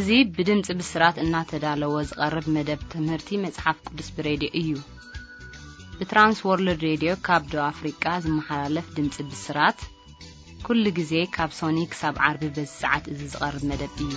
እዚ ብድምጺ ብስራት እናተዳለወ ዝቐርብ መደብ ትምህርቲ መጽሓፍ ቅዱስ ብሬድዮ እዩ። ብትራንስ ወርልድ ሬድዮ ካብ ደቡብ ኣፍሪቃ ዝመሓላለፍ ድምጺ ብስራት፣ ኩሉ ግዜ ካብ ሶኒ ክሳብ ዓርቢ በዚ ሰዓት እዚ ዝቐርብ መደብ እዩ።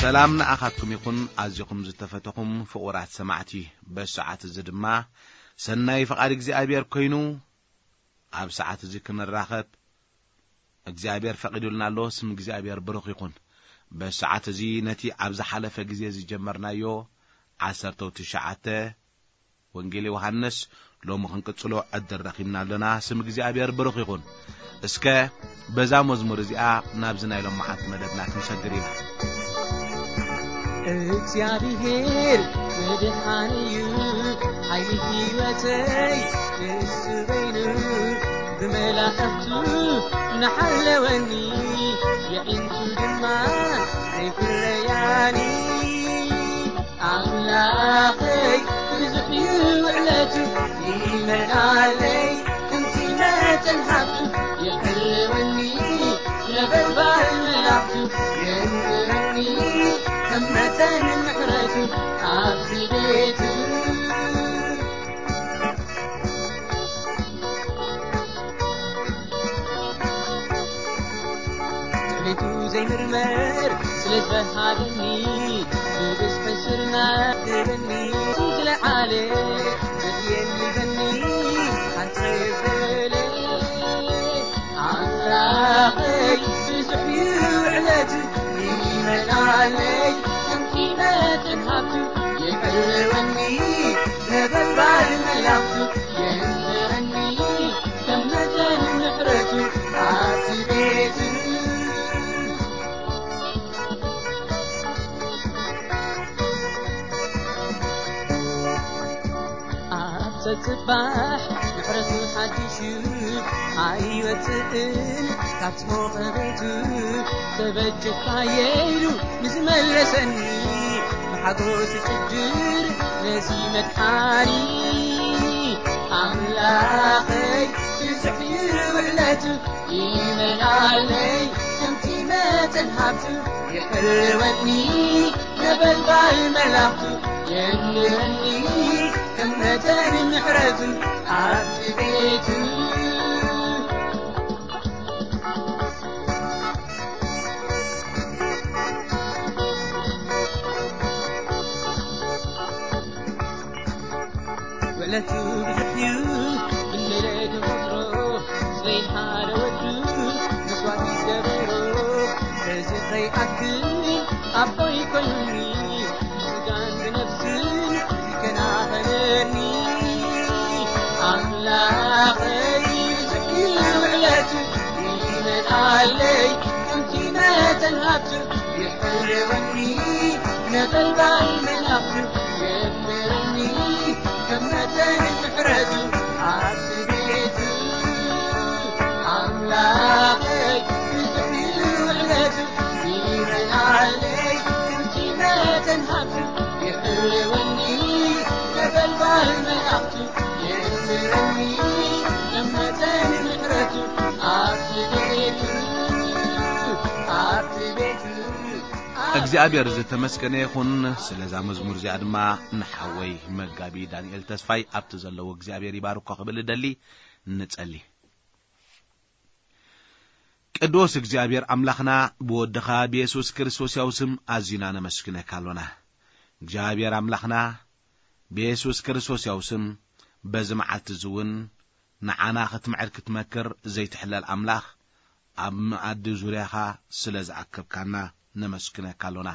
ሰላም ንኣኻትኩም ይኹን፣ ኣዚኹም ዝተፈተኹም ፍቑራት ሰማዕቲ። በዚ ሰዓት እዚ ድማ ሰናይ ፍቓድ እግዚኣብሔር ኮይኑ፣ ኣብ ሰዓት እዚ ክንራኸብ እግዚኣብሔር ፈቒዱልና ኣሎ። ስም እግዚኣብሔር ብሩኽ ይኹን። በዚ ሰዓት እዚ ነቲ ኣብ ዝሓለፈ ግዜ ዝጀመርናዮ ዓሰርተው ትሽዓተ ወንጌል ዮሃንስ ሎሚ ክንቅጽሎ ዕድል ረኺብና ኣለና። ስም እግዚኣብሔር ብሩኽ ይኹን። እስከ በዛ መዝሙር እዚኣ ናብዚ ናይ ሎማዓንቲ መደብና ክንሰግር ኢና። እግዚኣብሔር መድሓኒ እዩ፣ ሓይሊ ህይወተይ ንሱ በይኑ፣ ብመላእኽቱ ንሓለወኒ፣ የዒንቱ ድማ ኣይፍረያኒ። ኣምላኸይ ብዙሕ እዩ ውዕለቱ፣ ይመልኣለይ ከምቲ መጠን ሃብቱ፣ የሕልወኒ ነበልባል መላእኽቱ፣ የንብረኒ ከም መጠን ምሕረቱ ኣብቲ ቤቱ። ቤቱ ዘይምርመር ስለ ዝበሃለኒ፣ ብብዝሒ ስርና ግበኒ፣ ዝለዓለ ዘድልየኒ በኒ ኣንተ በለ። ኣምላኸይ ብዙሕ እዩ ውዕለቱ፣ ይመልኣለይ ከምቲ መጠን ሃብቱ፣ የሕልወኒ ነበልባል መላእኽቱ፣ የንብረኒ ከም መጠን ምሕረቱ ኣብቲ ቤቱ። ኣብ ጸጽባሕ ምሕረቱ ሓዲሹ ኣይወጽእን ካብ ሞቐ ቤቱ። ተበጀካየ ኢሉ ንዝመለሰኒ ብሓጎስ ይጭድር ነዚ መድሓኒ። ኣምላኸይ ብዙሕ እዩ ውዕለቱ፣ ይመልኣለይ ከምቲ መጠን ሃብቱ፣ የሕልወኒ ነበልባል መላእኽቱ፣ የንብረኒ ከም መጠን ምሕረቱ ኣብቲ ቤቱ። ውዕለቱ ብዙሕ እዩ፣ ብንደለ ተፈጥሮ፣ ስለይ ሓደ ወዱ መስዋእቲ ዝገበሮ። በዚ ከይኣክል ኣቦይ ኮይኑኒ፣ ብስጋን ብነፍስን ይከናኸነኒ። ኣምላኸይ ብዙሕ እዩ ውዕለቱ፣ ይመልኣለይ ከምቲ መጠን ሃብቱ፣ የሕልወኒ ነበልባል መላእኽቱ፣ የንብረኒ ከም መጠን ምሕረቱ ኣብቲ ቤቱ። ኣምላኸይ ብዙሕ እዩ ውዕለቱ፣ ይመልኣለይ ከምቲ መጠን ሃብቱ፣ የሕልወኒ ነበልባል መላእኽቱ፣ የንብረኒ ከም መጠን ምሕረቱ ኣብቲ ቤቱ፣ ኣብቲ ቤቱ። እግዚኣብሔር ዝተመስገነ ይኹን። ስለዛ መዝሙር እዚኣ ድማ ንሓወይ መጋቢ ዳንኤል ተስፋይ ኣብቲ ዘለዎ እግዚኣብሔር ይባርኮ ክብል እደሊ። ንጸሊ። ቅዱስ እግዚኣብሔር ኣምላኽና፣ ብወድኻ ብየሱስ ክርስቶስ ያው ስም ኣዚና ነመስግነካ ኣሎና። እግዚኣብሔር ኣምላኽና፣ ብየሱስ ክርስቶስ ያው ስም በዚ መዓልቲ እዚ እውን ንዓና ክትምዕድ ክትመክር ዘይትሕለል ኣምላኽ፣ ኣብ መኣዲ ዙርያኻ ስለ ዝኣከብካና ነመስግነካ ኣሎና።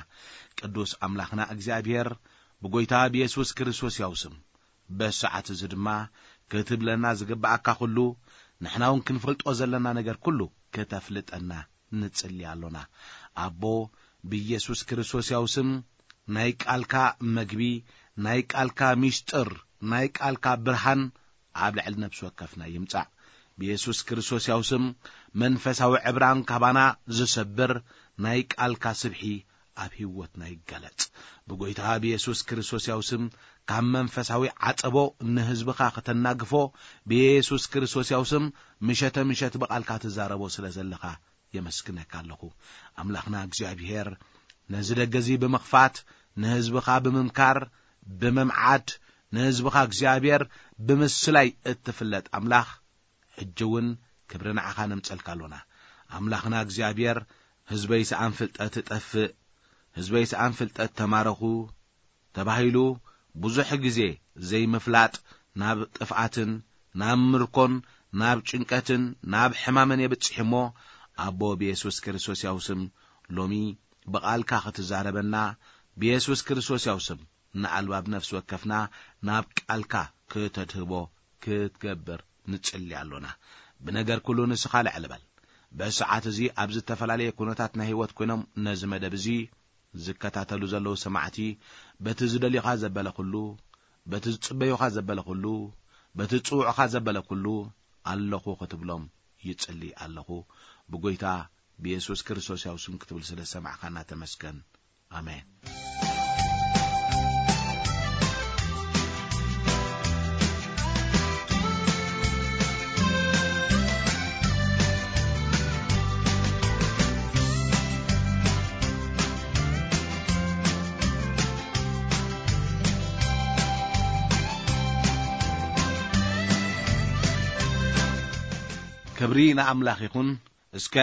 ቅዱስ ኣምላኽና እግዚኣብሔር፣ ብጎይታ ብየሱስ ክርስቶስ ያው ስም በዚ ሰዓት እዚ ድማ ክትብለና ዝግብኣካ ኩሉ፣ ንሕና እውን ክንፈልጦ ዘለና ነገር ኩሉ ክተፍልጠና ንጽሊ ኣሎና። ኣቦ፣ ብኢየሱስ ክርስቶስ ያው ስም ናይ ቃልካ መግቢ፣ ናይ ቃልካ ሚስጥር፣ ናይ ቃልካ ብርሃን ኣብ ልዕሊ ነፍሲ ወከፍና ይምጻእ። ብየሱስ ክርስቶስ ያው ስም መንፈሳዊ ዕብራን ካባና ዝሰብር ናይ ቃልካ ስብሒ ኣብ ህይወትና ይገለጽ። ብጎይታ ብየሱስ ክርስቶስ ያው ስም ካብ መንፈሳዊ ዓጸቦ ንህዝብኻ ከተናግፎ ብየሱስ ክርስቶስ ያው ስም ምሸተ ምሸት ብቓልካ ትዛረቦ ስለ ዘለኻ የመስግነካ ኣለኹ። ኣምላኽና እግዚኣብሔር ነዚ ደገ እዚ ብምኽፋት ንህዝብኻ ብምምካር ብምምዓድ ንህዝብኻ እግዚኣብሔር ብምስላይ እትፍለጥ ኣምላኽ ሕጂ እውን ክብሪ ንዓኻ ነምጸልካ ኣሎና። ኣምላኽና እግዚኣብሔር ህዝበይ ሰኣን ፍልጠት ጠፍእ፣ ህዝበይ ሰኣን ፍልጠት ተማረኹ ተባሂሉ ብዙሕ ግዜ ዘይምፍላጥ ናብ ጥፍኣትን ናብ ምርኮን ናብ ጭንቀትን ናብ ሕማምን የብጽሕ እሞ ኣቦ ብየሱስ ክርስቶስ ያው ስም ሎሚ ብቓልካ ክትዛረበና ብየሱስ ክርስቶስ ያው ስም ንኣልባብ ነፍሲ ወከፍና ናብ ቃልካ ክተድህቦ ክትገብር ንጽሊ ኣሎና። ብነገር ኩሉ ንስኻ ልዕል በል። በዚ ሰዓት እዚ ኣብ ዝተፈላለየ ኩነታት ናይ ህይወት ኮይኖም ነዚ መደብ እዚ ዝከታተሉ ዘለዉ ሰማዕቲ በቲ ዝደልዩኻ ዘበለ ኩሉ በቲ ዝጽበዩኻ ዘበለ ኩሉ በቲ ዝጽውዑኻ ዘበለ ኩሉ ኣለኹ ክትብሎም ይጽሊ ኣለኹ። ብጎይታ ብየሱስ ክርስቶስ ያው ስም ክትብል ስለ ዝሰማዕካና ተመስገን። ኣሜን። ክብሪ ንኣምላኽ ይኹን። እስከ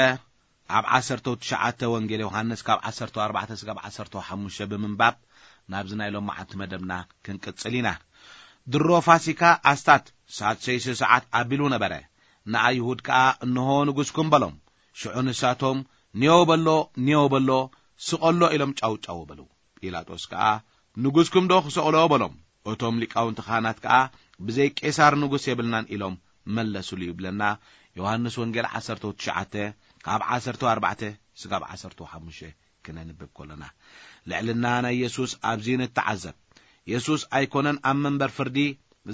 ኣብ ዓሰርተ ትሽዓተ ወንጌል ዮሃንስ ካብ ዓሰርተ ኣርባዕተ ስጋብ ዓሰርተ ሓሙሽተ ብምንባብ ናብዚ ናይ ሎማዓንቲ መደብና ክንቅጽል ኢና። ድሮ ፋሲካ ኣስታት ሳድሰይሲ ሰዓት ኣቢሉ ነበረ። ንኣይሁድ ከኣ እንሆ ንጉስኩም በሎም። ሽዑ ንሳቶም ኔዎ በሎ፣ ኔዎ በሎ፣ ስቐሎ ኢሎም ጫው ጫው በሉ። ጲላጦስ ከኣ ንጉስኩም ዶ ክሰቕሎ በሎም። እቶም ሊቃውንቲ ካህናት ከኣ ብዘይ ቄሳር ንጉስ የብልናን ኢሎም መለሱሉ ይብለና። ዮሃንስ ወንጌል ዓሰርተ ትሽዓተ ካብ ዓሰርተ ኣርባዕተ ስጋብ ዓሰርተ ሓሙሽተ ክነንብብ ከሎና ልዕልና ናይ የሱስ ኣብዚ ንተዓዘብ። የሱስ ኣይኮነን ኣብ መንበር ፍርዲ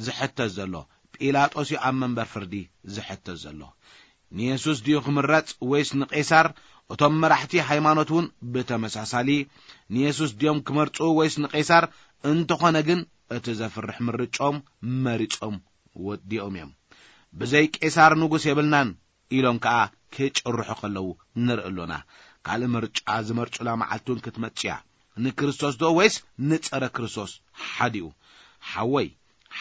ዝሕተት ዘሎ፣ ጲላጦስ እዩ ኣብ መንበር ፍርዲ ዝሕተት ዘሎ። ንየሱስ ድዩ ክምረጽ ወይስ ንቄሳር? እቶም መራሕቲ ሃይማኖት እውን ብተመሳሳሊ ንየሱስ ድዮም ክመርጹ ወይስ ንቄሳር? እንተኾነ ግን እቲ ዘፍርሕ ምርጫኦም መሪጾም ወዲኦም እዮም። ብዘይ ቄሳር ንጉስ የብልናን ኢሎም ከኣ ክጭርሑ ከለዉ ንርኢ ኣሎና። ካልእ ምርጫ ዝመርጹላ መዓልቲ እውን ክትመጽእ እያ። ንክርስቶስ ዶ ወይስ ንጸረ ክርስቶስ? ሓዲኡ። ሓወይ፣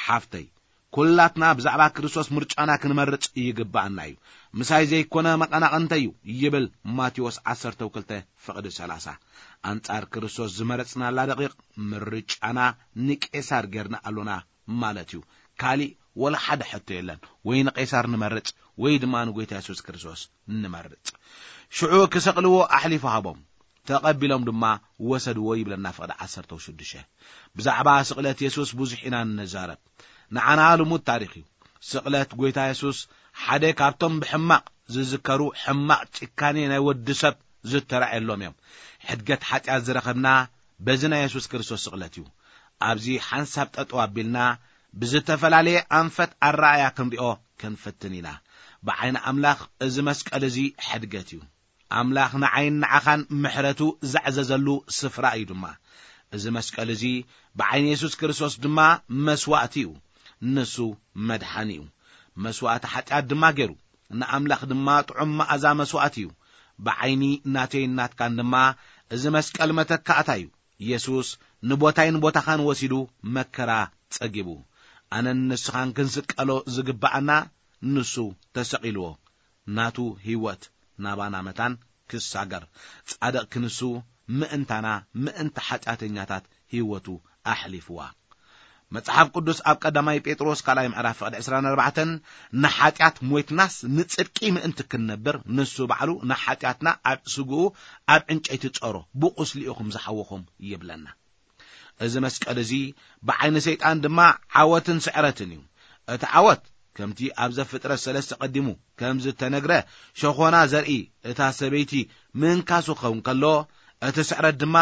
ሓፍተይ፣ ኩላትና ብዛዕባ ክርስቶስ ምርጫና ክንመርጽ ይግብኣና እዩ። ምሳይ ዘይኮነ መቐናቕንተይ እዩ ይብል ማቴዎስ ዓሰርተ ክልተ ፍቕዲ ሰላሳ። ኣንጻር ክርስቶስ ዝመረጽናላ ደቂቕ ምርጫና ንቄሳር ጌርና ኣሎና ማለት እዩ። ካሊእ ወላ ሓደ ሕቶ የለን። ወይ ንቄሳር ንመርጽ ወይ ድማ ንጎይታ የሱስ ክርስቶስ ንመርጽ። ሽዑ ክሰቕልዎ ኣሕሊፉ ሃቦም፣ ተቐቢሎም ድማ ወሰድዎ ይብለና ፍቕዲ ዓሰርተ ሽዱሽተ። ብዛዕባ ስቕለት የሱስ ብዙሕ ኢና እንዛረብ። ንዓና ልሙድ ታሪኽ እዩ። ስቕለት ጎይታ የሱስ ሓደ ካብቶም ብሕማቕ ዝዝከሩ ሕማቕ ጭካኔ ናይ ወዲ ሰብ ዝተራእየሎም እዮም። ሕድገት ሓጢኣት ዝረኸብና በዚ ናይ የሱስ ክርስቶስ ስቕለት እዩ። ኣብዚ ሓንሳብ ጠጠው ኣቢልና ብዝተፈላለየ ኣንፈት ኣረኣያ ክንሪኦ ክንፍትን ኢና። ብዓይኒ ኣምላኽ እዚ መስቀል እዚ ሕድገት እዩ። ኣምላኽ ንዓይን ንዓኻን ምሕረቱ ዘዕዘዘሉ ስፍራ እዩ ድማ። እዚ መስቀል እዚ ብዓይኒ የሱስ ክርስቶስ ድማ መስዋእቲ እዩ። ንሱ መድሓኒ እዩ። መስዋእቲ ሓጢኣት ድማ ገይሩ። ንኣምላኽ ድማ ጥዑም መኣዛ መስዋእቲ እዩ። ብዓይኒ ናተይን ናትካን ድማ እዚ መስቀል መተካእታ እዩ። የሱስ ንቦታይን ቦታኻን ወሲዱ መከራ ጸጊቡ። ኣነን ንስኻን ክንስቀሎ ዝግብኣና ንሱ ተሰቒልዎ። ናቱ ህይወት ናባና መታን ክሳገር፣ ጻድቕ ክንሱ ምእንታና፣ ምእንቲ ሓጢኣተኛታት ህይወቱ ኣሕሊፍዋ። መጽሓፍ ቅዱስ ኣብ ቀዳማይ ጴጥሮስ ካልኣይ ምዕራፍ ፍቕዲ ዕስራን ኣርባዕተን፣ "ንሓጢኣት ሞይትናስ ንጽድቂ ምእንቲ ክንነብር፣ ንሱ ባዕሉ ንሓጢኣትና ኣብ ስግኡ ኣብ ዕንጨይቲ ጸሮ፣ ብቑስሊ ኢኹም ዝሓወኹም" ይብለና። እዚ መስቀል እዚ ብዓይኒ ሰይጣን ድማ ዓወትን ስዕረትን እዩ። እቲ ዓወት ከምቲ ኣብ ዘፍጥረት ሰለስተ ቀዲሙ ከም ዝተነግረ ሸኾና ዘርኢ እታ ሰበይቲ ምንካሱ ክኸውን ከሎ፣ እቲ ስዕረት ድማ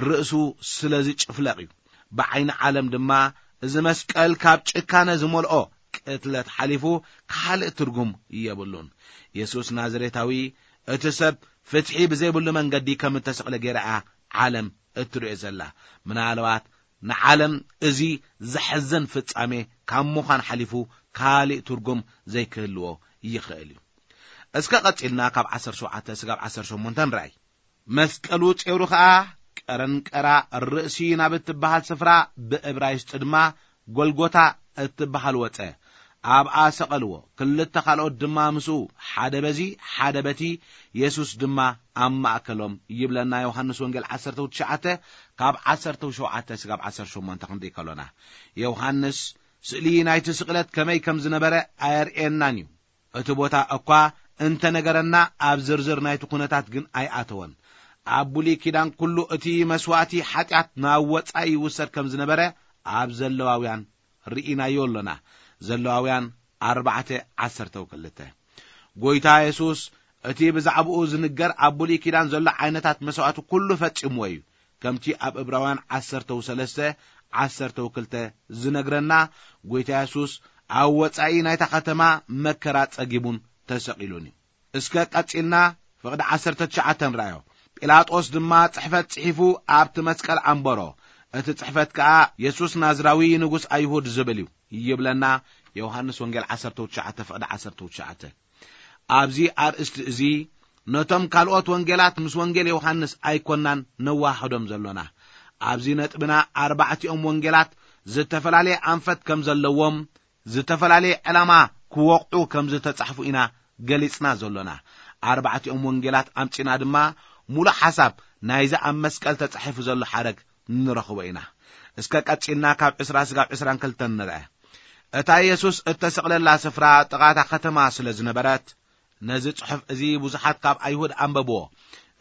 ርእሱ ስለ ዝጭፍለቕ እዩ። ብዓይኒ ዓለም ድማ እዚ መስቀል ካብ ጭካነ ዝመልኦ ቅትለት ሓሊፉ ካልእ ትርጉም የብሉን። የሱስ ናዝሬታዊ እቲ ሰብ ፍትሒ ብዘይብሉ መንገዲ ከም እተሰቕለ ገይራ እያ ዓለም እትርእዮ ዘላ። ምናልባት ንዓለም እዚ ዘሕዘን ፍጻሜ ካብ ምዃን ሓሊፉ ካልእ ትርጉም ዘይክህልዎ ይኽእል እዩ። እስከ ቀጺልና ካብ ዓሰርተ ሸውዓተ ስጋብ ዓሰርተ ሸሞንተ ንርኣይ። መስቀሉ ጼሩ ኸኣ ቀረንቀራ ርእሲ ናብ እትበሃል ስፍራ፣ ብእብራይስጢ ድማ ጎልጎታ እትበሃል ወጸ። ኣብኣ ሰቐልዎ፣ ክልተ ካልኦት ድማ ምስኡ፣ ሓደ በዚ ሓደ በቲ፣ የሱስ ድማ ኣብ ማእከሎም ይብለና ዮሃንስ ወንጌል ዓሰርተ ትሽዓተ ካብ ዓሰርተ ሸውዓተ ስጋብ ዓሰርተ ሸሞንተ ክንርኢ ከሎና። ዮሃንስ ስእሊ ናይቲ ስቕለት ከመይ ከም ዝነበረ ኣየርእየናን እዩ። እቲ ቦታ እኳ እንተነገረና፣ ኣብ ዝርዝር ናይቲ ኩነታት ግን ኣይኣተወን። ኣብ ብሉይ ኪዳን ኩሉ እቲ መስዋእቲ ሓጢኣት ናብ ወጻኢ ይውሰድ ከም ዝነበረ ኣብ ዘለዋውያን ርኢናዮ ኣሎና። ዘለዋውያን ኣርባዕተ ዓሰርተ ክልተ። ጎይታ የሱስ እቲ ብዛዕባኡ ዝንገር ኣብ ብሉይ ኪዳን ዘሎ ዓይነታት መስዋእቲ ኩሉ ፈጺምዎ እዩ። ከምቲ ኣብ እብራውያን ዓሰርተ ሰለስተ ዓሰርተ ክልተ ዝነግረና፣ ጎይታ የሱስ ኣብ ወጻኢ ናይታ ከተማ መከራ ጸጊቡን ተሰቒሉን እዩ። እስከ ቀጺልና ፍቕዲ ዓሰርተ ትሽዓተ ንርኣዮ። ጲላጦስ ድማ ጽሕፈት ጽሒፉ ኣብቲ መስቀል ኣንበሮ። እቲ ጽሕፈት ከኣ፣ የሱስ ናዝራዊ ንጉስ ኣይሁድ ዝብል እዩ ይብለና ዮሃንስ ወንጌል ዓሰርተ ትሽዓተ ፍቕዲ ዓሰርተ ትሽዓተ። ኣብዚ ኣርእስቲ እዚ ነቶም ካልኦት ወንጌላት ምስ ወንጌል ዮሃንስ ኣይኮናን ነዋህዶም ዘሎና። ኣብዚ ነጥብና ኣርባዕቲኦም ወንጌላት ዝተፈላለየ ኣንፈት ከም ዘለዎም፣ ዝተፈላለየ ዕላማ ክወቕዑ ከም ዝተጻሕፉ ኢና ገሊጽና ዘሎና። ኣርባዕቲኦም ወንጌላት ኣምጺና ድማ፣ ሙሉእ ሓሳብ ናይዚ ኣብ መስቀል ተጻሒፉ ዘሎ ሓረግ ንረኽቦ ኢና። እስከ ቀጺልና ካብ ዕስራ ስጋብ ዕስራን ክልተን ንርአ። እታ የሱስ እተሰቕለላ ስፍራ ጥቓ እታ ከተማ ስለ ዝነበረት፣ ነዚ ጽሑፍ እዚ ብዙሓት ካብ ኣይሁድ ኣንበብዎ።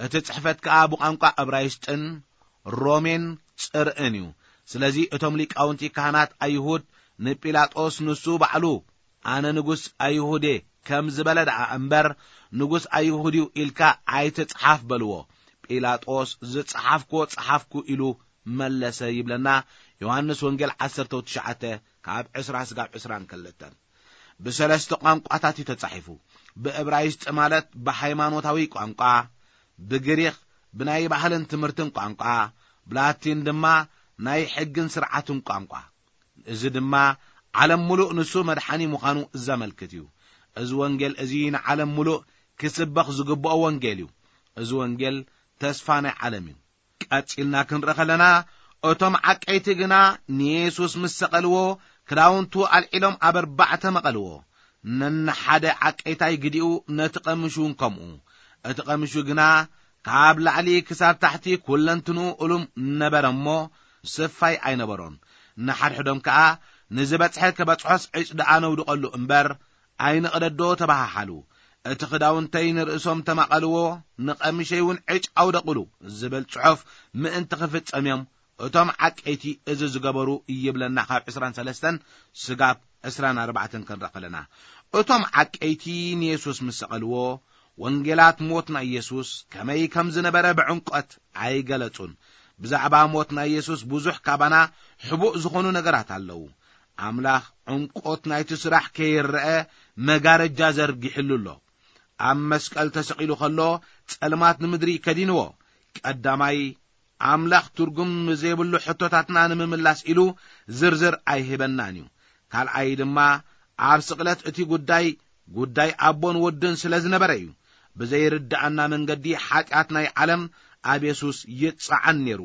እቲ ጽሕፈት ከኣ ብቋንቋ እብራይስጥን ሮሜን ጽርኢን እዩ። ስለዚ እቶም ሊቃውንቲ ካህናት ኣይሁድ ንጲላጦስ፣ ንሱ ባዕሉ፣ "ኣነ ንጉስ ኣይሁድ እየ" ከም ዝበለ ደኣ እምበር፣ "ንጉስ ኣይሁድ እዩ" ኢልካ ኣይትጽሓፍ በልዎ። ጲላጦስ፣ "ዝጸሓፍክዎ ጸሓፍኩ" ኢሉ መለሰ ይብለና ዮሃንስ ወንጌል ዓሰርተ ትሽዓተ ካብ ዕስራ ስጋብ ዕስራን ክልተን። ብሰለስተ ቋንቋታት እዩ ተጻሒፉ። ብእብራይስጢ ማለት ብሃይማኖታዊ ቋንቋ፣ ብግሪኽ ብናይ ባህልን ትምህርትን ቋንቋ፣ ብላቲን ድማ ናይ ሕግን ስርዓትን ቋንቋ። እዚ ድማ ዓለም ምሉእ ንሱ መድሓኒ ምዃኑ ዘመልክት እዩ። እዚ ወንጌል እዚ ንዓለም ምሉእ ክስበኽ ዝግብኦ ወንጌል እዩ። እዚ ወንጌል ተስፋ ናይ ዓለም እዩ። ቀጺልና ክንርኢ ከለና፣ እቶም ዓቀይቲ ግና ንየሱስ ምስ ሰቐልዎ፣ ክዳውንቱ ኣልዒሎም ኣብ ኣርባዕተ መቐልዎ። ነንሓደ ዓቀይታይ ግዲኡ፣ ነቲ ቀምሽ እውን ከምኡ። እቲ ቀምሹ ግና ካብ ላዕሊ ክሳብ ታሕቲ ኩለንትንኡ እሉም ነበረ እሞ፣ ስፋይ ኣይነበሮን። ንሓድሕዶም ከኣ፣ "ንዝበጽሐ ክበጽሖስ ዕጭ ደኣ ነውድቐሉ እምበር፣ ኣይንቕደዶ" ተባሃሓሉ። "እቲ ክዳውንተይ ንርእሶም ተማቐልዎ፣ ንቐምሸይ እውን ዕጭ ኣውደቑሉ" ዝብል ጽሑፍ ምእንቲ ክፍጸም እዮም እቶም ዓቀይቲ እዚ ዝገበሩ ይብለና ካብ ዕስራን ሰለስተን ስጋብ ዕስራን ኣርባዕተን ክንርኢ ከለና። እቶም ዓቀይቲ ንየሱስ ምስ ሰቐልዎ፣ ወንጌላት ሞት ናይ የሱስ ከመይ ከም ዝነበረ ብዕምቆት ኣይገለጹን። ብዛዕባ ሞት ናይ የሱስ ብዙሕ ካባና ሕቡእ ዝኾኑ ነገራት ኣለዉ። ኣምላኽ ዕምቆት ናይቲ ስራሕ ከይረአ መጋረጃ ዘርጊሕሉ ኣሎ። ኣብ መስቀል ተሰቒሉ ከሎ፣ ጸልማት ንምድሪ ከዲንዎ። ቀዳማይ፣ ኣምላኽ ትርጉም ዘይብሉ ሕቶታትና ንምምላስ ኢሉ ዝርዝር ኣይህበናን እዩ። ካልኣይ ድማ፣ ኣብ ስቕለት እቲ ጉዳይ፣ ጉዳይ ኣቦን ወድን ስለ ዝነበረ እዩ። ብዘይርድኣና መንገዲ ሓጢኣት ናይ ዓለም ኣብ የሱስ ይጸዓን ነይሩ።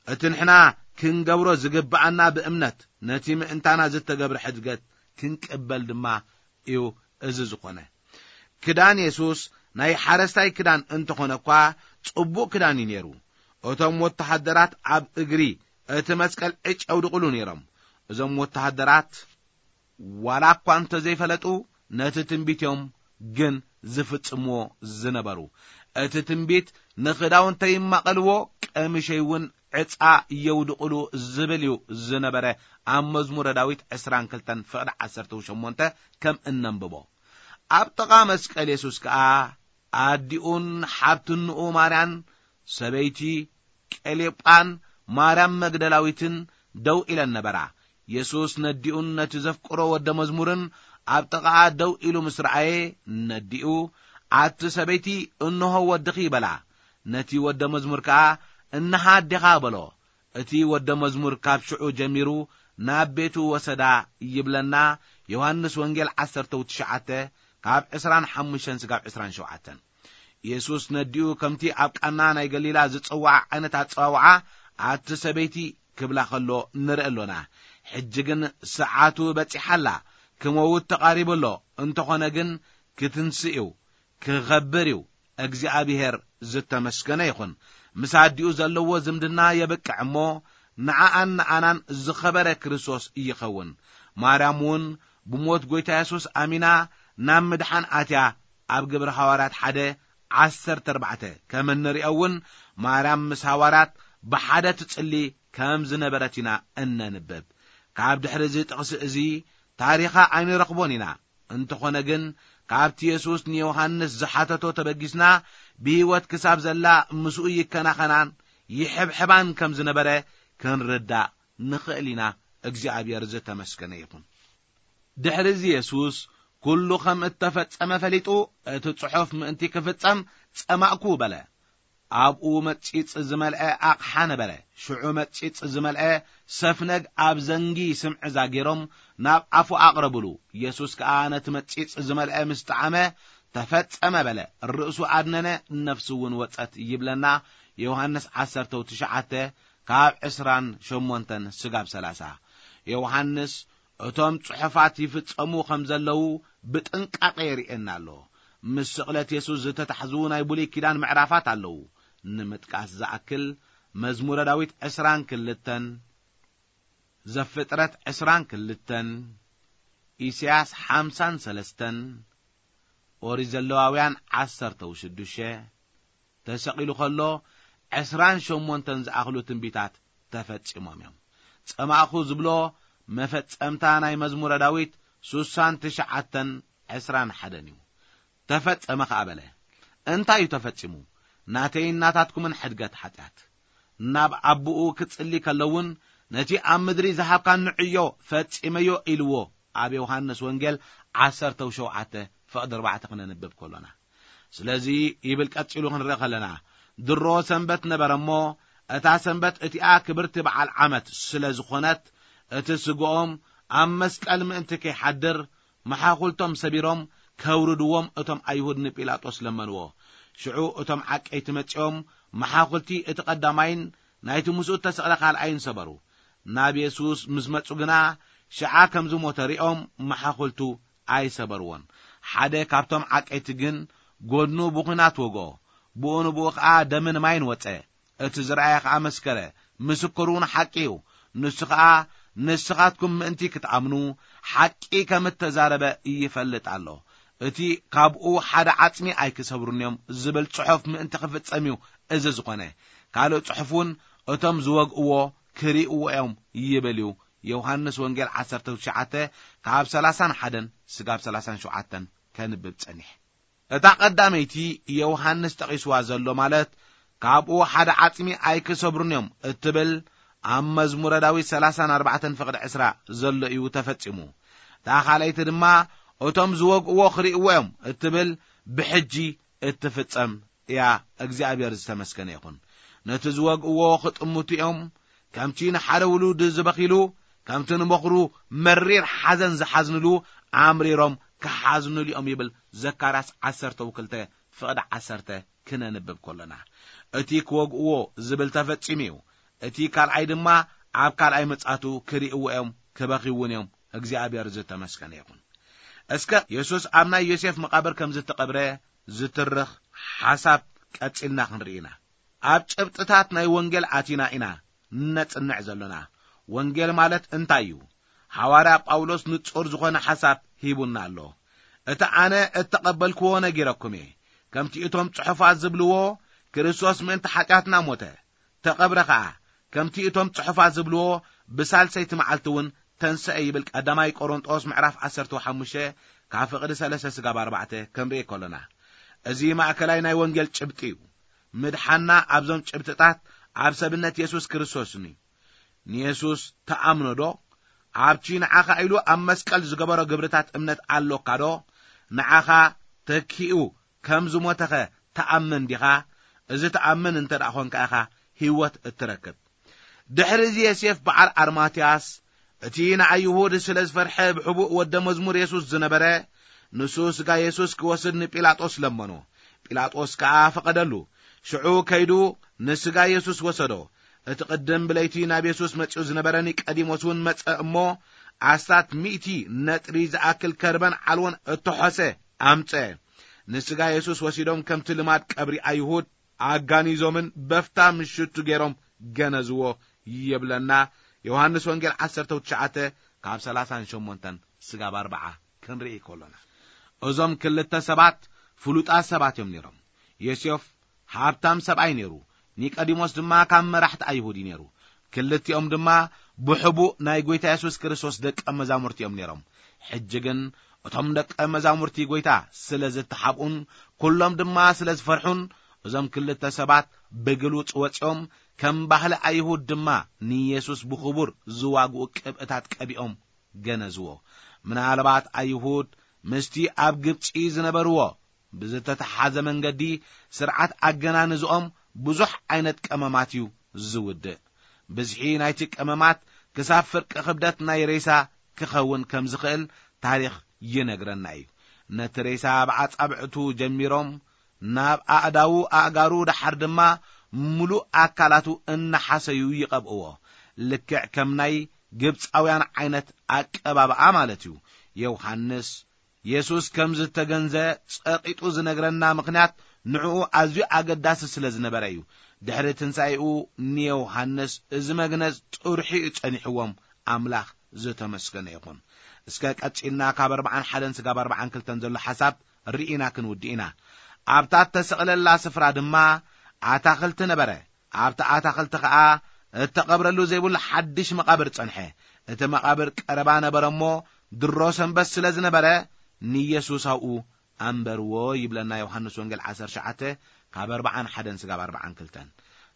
እቲ ንሕና ክንገብሮ ዝግብኣና ብእምነት ነቲ ምእንታና ዝተገብረ ሕድገት ክንቅበል ድማ እዩ እዚ ዝኾነ። ክዳን የሱስ ናይ ሓረስታይ ክዳን እንተኾነ እኳ፣ ጽቡቕ ክዳን እዩ ነይሩ። እቶም ወተሃደራት ኣብ እግሪ እቲ መስቀል ዕጭ የውድቕሉ ነይሮም። እዞም ወተሃደራት ዋላ እኳ እንተዘይፈለጡ፣ ነቲ ትንቢት እዮም ግን ዝፍጽምዎ ዝነበሩ። እቲ ትንቢት፣ "ንኽዳውንተይ ይማቐልዎ፣ ቀምሸይ እውን ዕጻ የውድቕሉ" ዝብል እዩ ዝነበረ። ኣብ መዝሙረ ዳዊት ዕስራን ክልተን ፍቕዲ ዓሰርተ ሸሞንተ ከም እነንብቦ፣ ኣብ ጥቓ መስቀል የሱስ ከኣ ኣዲኡን ሓብትንኡ ማርያን፣ ሰበይቲ ቀሌጳን ማርያም መግደላዊትን ደው ኢለን ነበራ። የሱስ ነዲኡን ነቲ ዘፍቅሮ ወደ መዝሙርን ኣብ ጥቓኣ ደው ኢሉ ምስ ረኣየ፣ ነዲኡ፣ "ኣቲ ሰበይቲ፣ እንሆ ወድኺ" በላ። ነቲ ወደ መዝሙር ከኣ፣ እንሃ ኣዴኻ በሎ። እቲ ወደ መዝሙር ካብ ሽዑ ጀሚሩ ናብ ቤቱ ወሰዳ ይብለና። ዮሃንስ ወንጌል ዓሰርተ ትሽዓተ ካብ ዕስራን ሓሙሽተን ስጋብ ዕስራን ሸውዓተን። የሱስ ነዲኡ ከምቲ ኣብ ቃና ናይ ገሊላ ዝጸውዓ ዓይነት ኣጸዋውዓ ኣቲ ሰበይቲ ክብላ ከሎ ንርኢ ኣሎና። ሕጂ ግን ሰዓቱ በጺሓ ኣላ፣ ክመውት ተቓሪቡ ኣሎ። እንተኾነ ግን ክትንስእ እዩ፣ ክኸብር እዩ። እግዚኣብሄር ዝተመስገነ ይኹን። ምስ ኣዲኡ ዘለዎ ዝምድና የብቅዕ እሞ፣ ንዓኣን ንኣናን ዝኸበረ ክርስቶስ ይኸውን። ማርያም እውን ብሞት ጐይታ የሱስ ኣሚና ናብ ምድሓን ኣትያ። ኣብ ግብሪ ሃዋርያት ሓደ ዓሰርተ ኣርባዕተ ከም እንሪኦ እውን፣ ማርያም ምስ ሃዋርያት ብሓደ ትጽሊ ከም ዝነበረት ኢና እነንብብ። ካብ ድሕሪ እዚ ጥቕሲ እዚ ታሪኻ ኣይንረኽቦን ኢና። እንተኾነ ግን፣ ካብቲ የሱስ ንዮሃንስ ዝሓተቶ ተበጊስና፣ ብህይወት ክሳብ ዘላ ምስኡ ይከናኸናን ይሕብሕባን ከም ዝነበረ ክንርዳእ ንኽእል ኢና። እግዚኣብሔር ዝተመስገነ ይኹን። ድሕሪ እዚ የሱስ ኩሉ ከም እተፈጸመ ፈሊጡ፣ እቲ ጽሑፍ ምእንቲ ክፍጸም ጸማእኩ በለ። ኣብኡ መጺጽ ዝመልአ ኣቕሓ ነበረ። ሽዑ መጺጽ ዝመልአ ሰፍነግ ኣብ ዘንጊ ስምዕዛ ገይሮም ናብ ኣፉ ኣቕረብሉ። የሱስ ከኣ ነቲ መጺጽ ዝመልአ ምስ ጠዓመ፣ "ተፈጸመ" በለ። ርእሱ ኣድነነ፣ ነፍሱ እውን ወጸት ይብለና ዮሃንስ ዓሰርተ ትሽዓተ ካብ ዕስራን ሸሞንተን ስጋብ ሰላሳ። ዮሃንስ እቶም ጽሑፋት ይፍጸሙ ከም ዘለዉ ብጥንቃቐ የርእየና ኣሎ። ምስ ስቕለት የሱስ ዝተታሕዙ ናይ ብሉይ ኪዳን ምዕራፋት ኣለዉ። ንምጥቃስ ዝኣክል፣ መዝሙረ ዳዊት ዕስራን ክልተን፣ ዘፍጥረት ዕስራን ክልተን፣ ኢሳያስ ሓምሳን ሰለስተን፣ ኦሪት ዘለዋውያን ዓሰርተ ሽዱሽተ፣ ተሰቒሉ ከሎ ዕስራን ሸሞንተን ዝኣኽሉ ትንቢታት ተፈጺሞም እዮም። ጸማእኹ ዝብሎ መፈጸምታ ናይ መዝሙረ ዳዊት ሱሳን ትሽዓተን ዕስራን ሓደን እዩ። "ተፈጸመ" ከኣ በለ። እንታይ እዩ ተፈጺሙ? ናተይን ናታትኩምን ሕድገት ሓጢኣት። ናብ ኣቦኡ ክጽሊ ከሎ እውን፣ "ነቲ ኣብ ምድሪ ዝሃብካኒ ዕዮ ፈጺመዮ" ኢልዎ፣ ኣብ ዮሃንስ ወንጌል ዓሰርተ ሸውዓተ ፍቕዲ ኣርባዕተ ክነንብብ ከሎና። ስለዚ ይብል ቀጺሉ ክንርኢ ከለና፣ ድሮ ሰንበት ነበረ እሞ፣ እታ ሰንበት እቲኣ ክብርቲ በዓል ዓመት ስለ ዝኾነት፣ እቲ ስግኦም ኣብ መስቀል ምእንቲ ከይሓድር፣ መሓኹልቶም ሰቢሮም ከውርድዎም እቶም ኣይሁድ ንጲላጦስ ለመንዎ። ሽዑ እቶም ዓቀይቲ መጺኦም መሓኹልቲ እቲ ቀዳማይን ናይቲ ምስኡ እተሰቕለ ካልኣይን ሰበሩ። ናብ የሱስ ምስ መጹ ግና፣ ሽዓ ከም ዝሞተ ሪኦም መሓኹልቱ ኣይሰበርዎን። ሓደ ካብቶም ዓቀይቲ ግን ጎድኑ ብኹናት ወግኦ። ብኡ ንብኡ ኸኣ ደምን ማይን ወጸ። እቲ ዝረኣየ ኸኣ መስከረ፣ ምስክር እውን ሓቂ እዩ። ንሱ ኸኣ፣ ንስኻትኩም ምእንቲ ክትኣምኑ፣ ሓቂ ከም እተዛረበ ይፈልጥ ኣሎ። እቲ "ካብኡ ሓደ ዓጽሚ ኣይክሰብሩን እዮም" ዝብል ጽሑፍ ምእንቲ ክፍጸም እዩ እዚ ዝኾነ። ካልእ ጽሑፍ እውን፣ "እቶም ዝወግእዎ ክርእይዎ እዮም" ይብል እዩ። ዮሃንስ ወንጌል ዓሰርተ ትሽዓተ ካብ ሰላሳን ሓደን ስጋብ ሰላሳን ሸውዓተን ከንብብ ጸኒሕ። እታ ቀዳመይቲ ዮሃንስ ጠቒስዋ ዘሎ፣ ማለት "ካብኡ ሓደ ዓጽሚ ኣይክሰብሩን እዮም" እትብል፣ ኣብ መዝሙረ ዳዊት ሰላሳን ኣርባዕተን ፍቕዲ ዕስራ ዘሎ እዩ ተፈጺሙ። እታ ካልኣይቲ ድማ፣ "እቶም ዝወግእዎ ክርእይዎ እዮም" እትብል፣ ብሕጂ እትፍጸም እያ። እግዚኣብሔር ዝተመስገነ ይኹን። ነቲ ዝወግእዎ ክጥምቱ እዮም፣ ከምቲ ንሓደ ውሉድ ዝበኺሉ፣ ከምቲ ንበኹሩ መሪር ሓዘን ዝሓዝንሉ፣ ኣምሪሮም ክሓዝንሉ እዮም ይብል ዘካርያስ ዓሰርተ ክልተ ፍቕዲ ዓሰርተ ክነንብብ ከሎና። እቲ ክወግእዎ ዝብል ተፈጺሙ እዩ። እቲ ካልኣይ ድማ ኣብ ካልኣይ ምጽኣቱ ክርእይዎ እዮም፣ ክበኽዩ እውን እዮም። እግዚኣብሔር ዝተመስገነ ይኹን። እስከ የሱስ ኣብ ናይ ዮሴፍ መቓብር ከም ዝተቐብረ ዝትርኽ ሓሳብ ቀጺልና ክንርኢ ኢና። ኣብ ጭብጥታት ናይ ወንጌል ኣቲና ኢና ነጽንዕ ዘሎና። ወንጌል ማለት እንታይ እዩ? ሃዋርያ ጳውሎስ ንጹር ዝኾነ ሓሳብ ሂቡና ኣሎ። "እቲ ኣነ እተቐበልክዎ ነጊረኩም እየ። ከምቲ እቶም ጽሑፋት ዝብልዎ፣ ክርስቶስ ምእንቲ ሓጢኣትና ሞተ፣ ተቐብረ ኸኣ፣ ከምቲ እቶም ጽሑፋት ዝብልዎ፣ ብሳልሰይቲ መዓልቲ እውን ተንስአ" ይብል ቀዳማይ ቆሮንጦስ ምዕራፍ ዓሰርተ ሓሙሽተ ካብ ፍቕዲ ሰለስተ ስጋብ ኣርባዕተ ክንርኢ ከሎና። እዚ ማእከላይ ናይ ወንጌል ጭብጢ እዩ። ምድሓንና ኣብዞም ጭብጥታት ኣብ ሰብነት የሱስ ክርስቶስን እዩ። ንየሱስ ትኣምኖ ዶ? ኣብቲ ንዓኻ ኢሉ ኣብ መስቀል ዝገበሮ ግብርታት እምነት ኣሎካ ዶ? ንዓኻ ተኪኡ ከም ዝሞተኸ ትኣምን ዲኻ? እዚ ትኣምን እንተ ደኣ ኾንካ ኢኻ ህይወት እትረክብ። ድሕሪ እዚ ዮሴፍ በዓል ኣርማትያስ፣ እቲ ንኣይሁድ ስለ ዝፈርሐ ብሕቡእ ወደ መዝሙር የሱስ ዝነበረ፣ ንሱ ስጋ የሱስ ክወስድ ንጲላጦስ ለመኖ። ጲላጦስ ከኣ ፈቐደሉ። ሽዑ ከይዱ ንስጋ የሱስ ወሰዶ። እቲ ቅድም ብለይቲ ናብ የሱስ መጺኡ ዝነበረ ኒቀዲሞስ እውን መጸ እሞ፣ ኣስታት ሚእቲ ነጥሪ ዝኣክል ከርበን ዓልዎን እተሖሰ ኣምጸ። ንስጋ የሱስ ወሲዶም ከምቲ ልማድ ቀብሪ ኣይሁድ ኣጋኒዞምን በፍታ ምሽቱ ገይሮም ገነዝዎ ይብለና። ዮሃንስ ወንጌል ዓሰርተ ትሽዓተ ካብ ሰላሳን ሸሞንተን ስጋብ ኣርብዓ ክንርኢ ከሎና፣ እዞም ክልተ ሰባት ፍሉጣት ሰባት እዮም ነይሮም። ዮሴፍ ሃብታም ሰብኣይ ነይሩ፣ ኒቆዲሞስ ድማ ካብ መራሕቲ ኣይሁድ እዩ ነይሩ። ክልቲኦም ድማ ብሕቡእ ናይ ጐይታ የሱስ ክርስቶስ ደቀ መዛሙርቲ እዮም ነይሮም። ሕጂ ግን እቶም ደቀ መዛሙርቲ ጐይታ ስለ ዝተሓብኡን ኩሎም ድማ ስለ ዝፈርሑን፣ እዞም ክልተ ሰባት ብግሉጽ ወጺኦም፣ ከም ባህሊ ኣይሁድ ድማ ንየሱስ ብኽቡር ዝዋግኡ ቅብእታት ቀቢኦም ገነዝዎ። ምናልባት ኣይሁድ ምስቲ ኣብ ግብጺ ዝነበርዎ ብዝተተሓዘ መንገዲ ስርዓት ኣገናንዝኦም ብዙሕ ዓይነት ቀመማት እዩ ዝውድእ። ብዝሒ ናይቲ ቀመማት ክሳብ ፍርቂ ክብደት ናይ ሬሳ ክኸውን ከም ዝኽእል ታሪኽ ይነግረና እዩ። ነቲ ሬሳ ብኣጻብዕቱ ጀሚሮም ናብ ኣእዳዉ፣ ኣእጋሩ፣ ደሓር ድማ ምሉእ ኣካላቱ እናሓሰዩ ይቐብእዎ። ልክዕ ከም ናይ ግብጻውያን ዓይነት ኣቀባብኣ ማለት እዩ። ዮሃንስ የሱስ ከም ዝተገንዘ ጸቂጡ ዝነግረና ምኽንያት ንዕኡ ኣዝዩ ኣገዳሲ ስለ ዝነበረ እዩ። ድሕሪ ትንሳኤኡ ንዮሃንስ እዚ መግነዝ ጥርሑ እዩ ጸኒሕዎም። ኣምላኽ ዝተመስገነ ይኹን። እስከ ቀጺልና ካብ ኣርብዓን ሓደን ስጋብ ኣርብዓን ክልተን ዘሎ ሓሳብ ርኢና ክንውድእ ኢና። ኣብታ እተሰቕለላ ስፍራ ድማ ኣታኽልቲ ነበረ። ኣብቲ ኣታኽልቲ ኸኣ እተቐብረሉ ዘይብሉ ሓድሽ መቓብር ጸንሐ። እቲ መቓብር ቀረባ ነበረ እሞ፣ ድሮ ሰንበት ስለ ዝነበረ፣ ንየሱስ ኣብኡ ኣንበርዎ ይብለና ዮሃንስ ወንጌል ዓሰርተ ትሽዓተ ካብ ኣርብዓን ሓደን ስጋብ ኣርብዓን ክልተን።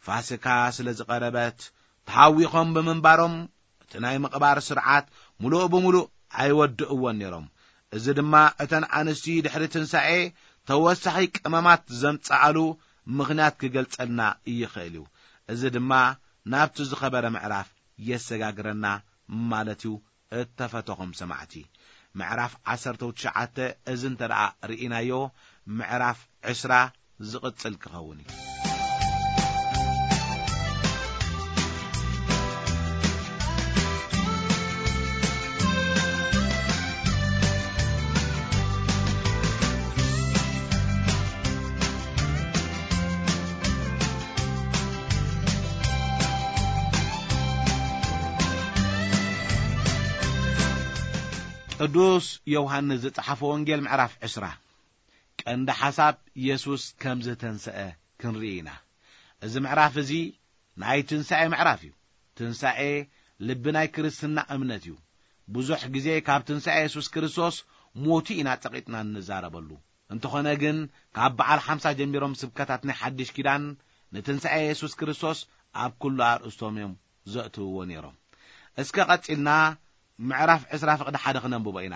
ፋሲካ ስለ ዝቐረበት፣ ተሃዊኾም ብምንባሮም፣ እቲ ናይ ምቕባር ስርዓት ምሉእ ብምሉእ ኣይወድእዎን ነይሮም። እዚ ድማ እተን ኣንስቲ ድሕሪ ትንሳኤ ተወሳኺ ቀመማት ዘምጽኣሉ ምኽንያት ክገልጸልና ይኽእል እዩ። እዚ ድማ ናብቲ ዝኸበረ ምዕራፍ የሰጋግረና ማለት እዩ። እተፈተኹም ሰማዕቲ፣ ምዕራፍ ዓሰርተ ትሽዓተ እዚ እንተ ደኣ ርኢናዮ፣ ምዕራፍ ዕስራ ዝቕጽል ክኸውን እዩ። ቅዱስ ዮሃንስ ዝጸሓፎ ወንጌል ምዕራፍ ዕስራ። ቀንዲ ሓሳብ የሱስ ከም ዝተንስአ ክንርኢ ኢና። እዚ ምዕራፍ እዚ ናይ ትንሳኤ ምዕራፍ እዩ። ትንሳኤ ልቢ ናይ ክርስትና እምነት እዩ። ብዙሕ ግዜ ካብ ትንሳኤ የሱስ ክርስቶስ ሞቱ ኢና ጸቒጥና እንዛረበሉ። እንተኾነ ግን ካብ በዓል ሓምሳ ጀሚሮም ስብከታት ናይ ሓድሽ ኪዳን ንትንሳኤ የሱስ ክርስቶስ ኣብ ኩሉ ኣርእስቶም እዮም ዘእትውዎ ነይሮም። እስከ ቀጺልና ምዕራፍ ዕስራ ፍቕዲ ሓደ ክነንብቦ ኢና።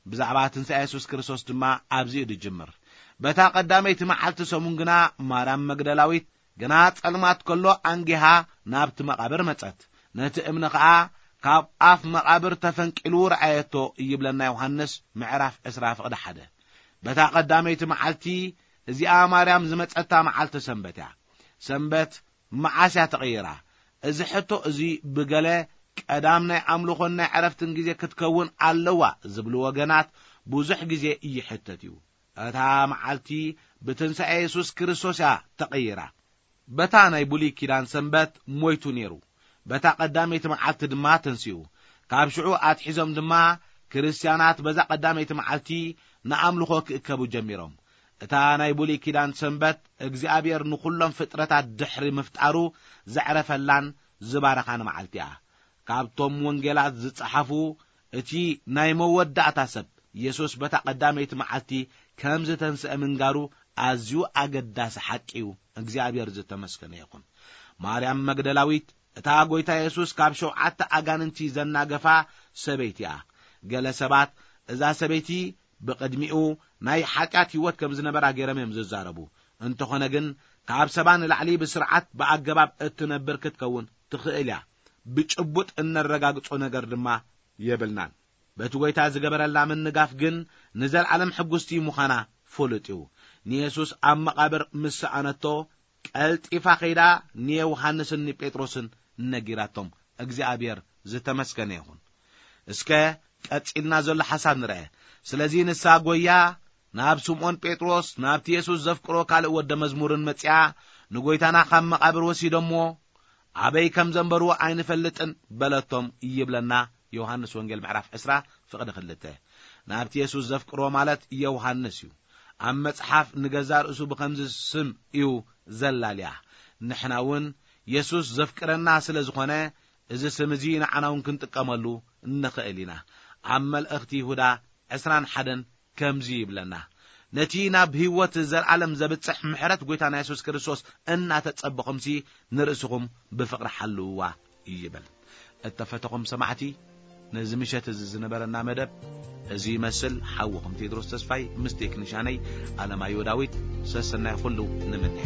ብዛዕባ ትንሳኤ የሱስ ክርስቶስ ድማ ኣብዚ እዩ ዝጅምር። በታ ቀዳመይቲ መዓልቲ ሰሙን ግና ማርያም መግደላዊት ገና ጸልማት ከሎ ኣንጊሃ ናብቲ መቓብር መጸት። ነቲ እምኒ ኸኣ ካብ ኣፍ መቓብር ተፈንቂሉ ረኣየቶ ይብለና ዮሃንስ ምዕራፍ ዕስራ ፍቕዲ ሓደ። በታ ቀዳመይቲ መዓልቲ እዚኣ ማርያም ዝመጸታ መዓልቲ ሰንበት እያ። ሰንበት መዓስ እያ ተቐይራ? እዚ ሕቶ እዚ ብገለ ቀዳም ናይ ኣምልኾን ናይ ዕረፍትን ግዜ ክትከውን ኣለዋ ዝብሉ ወገናት ብዙሕ ግዜ ይሕተት እዩ። እታ መዓልቲ ብትንሳኤ የሱስ ክርስቶስ እያ ተቐይራ። በታ ናይ ብሉይ ኪዳን ሰንበት ሞይቱ ነይሩ፣ በታ ቀዳመይቲ መዓልቲ ድማ ተንሲኡ። ካብ ሽዑ ኣትሒዞም ድማ ክርስትያናት በዛ ቀዳመይቲ መዓልቲ ንኣምልኾ ክእከቡ ጀሚሮም። እታ ናይ ብሉይ ኪዳን ሰንበት እግዚኣብሔር ንኹሎም ፍጥረታት ድሕሪ ምፍጣሩ ዘዕረፈላን ዝባረኻን መዓልቲ እያ። ካብቶም ወንጌላት ዝጸሓፉ እቲ ናይ መወዳእታ ሰብ የሱስ በታ ቀዳመይቲ መዓልቲ ከም ዝተንስአ ምንጋሩ ኣዝዩ ኣገዳሲ ሓቂ እዩ። እግዚኣብሔር ዝተመስገነ ይኹን። ማርያም መግደላዊት እታ ጐይታ የሱስ ካብ ሸውዓተ ኣጋንንቲ ዘናገፋ ሰበይቲ እያ። ገለ ሰባት እዛ ሰበይቲ ብቕድሚኡ ናይ ሓጢኣት ህይወት ከም ዝነበራ ገይሮም እዮም ዝዛረቡ። እንተኾነ ግን፣ ካብ ሰባ ንላዕሊ ብስርዓት ብኣገባብ እትነብር ክትከውን ትኽእል እያ። ብጭቡጥ እነረጋግጾ ነገር ድማ የብልናን። በቲ ጐይታ ዝገበረላ ምንጋፍ ግን ንዘለዓለም ሕጉስቲ ምዃና ፍሉጥ እዩ። ንየሱስ ኣብ መቓብር ምስ ሰኣነቶ፣ ቀልጢፋ ከይዳ ንዮሃንስን ንጴጥሮስን ነጊራቶም። እግዚኣብሔር ዝተመስገነ ይኹን። እስከ ቀጺልና ዘሎ ሓሳብ ንርአ። ስለዚ ንሳ ጐያ ናብ ስምዖን ጴጥሮስ፣ ናብቲ የሱስ ዘፍቅሮ ካልእ ወደ መዝሙርን መጺኣ፣ "ንጐይታና ካብ መቓብር ወሲዶምዎ፣ ኣበይ ከም ዘንበርዎ ኣይንፈልጥን" በለቶም ይብለና ዮሃንስ ወንጌል ምዕራፍ ዕስራ ፍቕዲ ክልተ። ናብቲ የሱስ ዘፍቅሮ ማለት ዮሃንስ እዩ። ኣብ መጽሓፍ ንገዛ ርእሱ ብኸምዚ ስም እዩ ዘላልያ። ንሕና እውን የሱስ ዘፍቅረና ስለ ዝኾነ፣ እዚ ስም እዚ ንዓና እውን ክንጥቀመሉ ንኽእል ኢና። ኣብ መልእኽቲ ይሁዳ ዕስራን ሓደን ከምዚ ይብለና፣ "ነቲ ናብ ህይወት ዘለዓለም ዘብጽሕ ምሕረት ጐይታና የሱስ ክርስቶስ እናተጸበኹምሲ ንርእስኹም ብፍቕሪ ሓልውዋ" ይብል። እተፈተኹም ሰማዕቲ፣ ነዚ ምሸት እዚ ዝነበረና መደብ እዚ ይመስል። ሓውኹም ቴድሮስ ተስፋይ ምስ ቴክኒሻነይ ኣለማዮ ዳዊት ሰሰናይ ኩሉ ንምነ።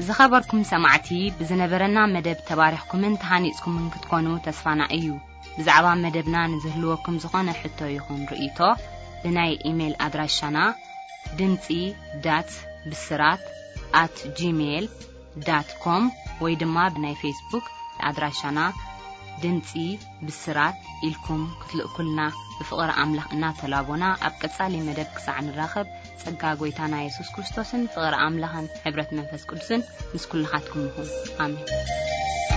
ዝኸበርኩም ሰማዕቲ፣ ብዝነበረና መደብ ተባሪኽኩምን ተሃኒጽኩምን ክትኮኑ ተስፋና እዩ። ብዛዕባ መደብና ንዝህልወኩም ዝኾነ ሕቶ ይኹን ርእይቶ፣ ብናይ ኢሜይል ኣድራሻና ድምጺ ዳት ብስራት ኣት ጂሜይል ዳት ኮም ወይ ድማ ብናይ ፌስቡክ ኣድራሻና ድምጺ ብስራት ኢልኩም ክትልእኩልና ብፍቕሪ ኣምላኽ እናተላቦና፣ ኣብ ቀጻሊ መደብ ክሳዕ ንራኸብ፣ ጸጋ ጐይታና የሱስ ክርስቶስን ፍቕሪ ኣምላኽን ሕብረት መንፈስ ቅዱስን ምስ ኩልኻትኩም ይኹን። ኣሜን።